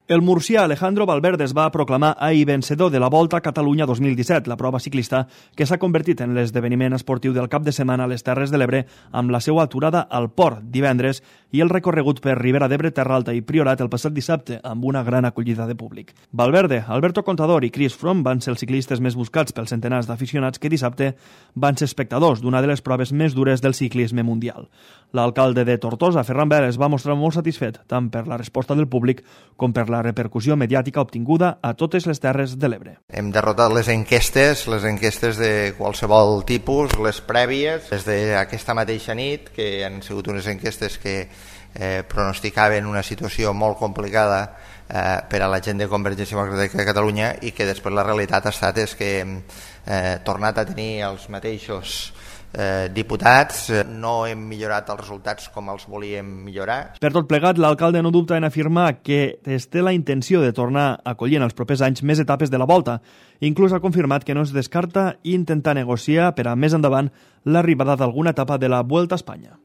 El murcià Alejandro Valverde es va proclamar ahir vencedor de la Volta a Catalunya 2017, la prova ciclista que s'ha convertit en l'esdeveniment esportiu del cap de setmana a les Terres de l'Ebre amb la seva aturada al Port divendres i el recorregut per Ribera d'Ebre, Terra Alta i Priorat el passat dissabte amb una gran acollida de públic. Valverde, Alberto Contador i Chris Froome van ser els ciclistes més buscats pels centenars d'aficionats que dissabte van ser espectadors d'una de les proves més dures del ciclisme mundial. L'alcalde de Tortosa, Ferran Vélez, va mostrar molt satisfet tant per la resposta del públic com per la repercussió mediàtica obtinguda a totes les Terres de l'Ebre. Hem derrotat les enquestes de qualsevol tipus, les prèvies, des d'aquesta mateixa nit, que han sigut unes enquestes que pronosticaven una situació molt complicada per a la gent de Convergència Democràtica de Catalunya i que després la realitat ha estat que hem tornat a tenir els mateixos diputats, no hem millorat els resultats com els volíem millorar. Per tot plegat, l'alcalde no dubta en afirmar que es té la intenció de tornar a acollir en els propers anys més etapes de la Volta. Inclús ha confirmat que no es descarta intentar negociar per a més endavant l'arribada d'alguna etapa de la Vuelta a Espanya.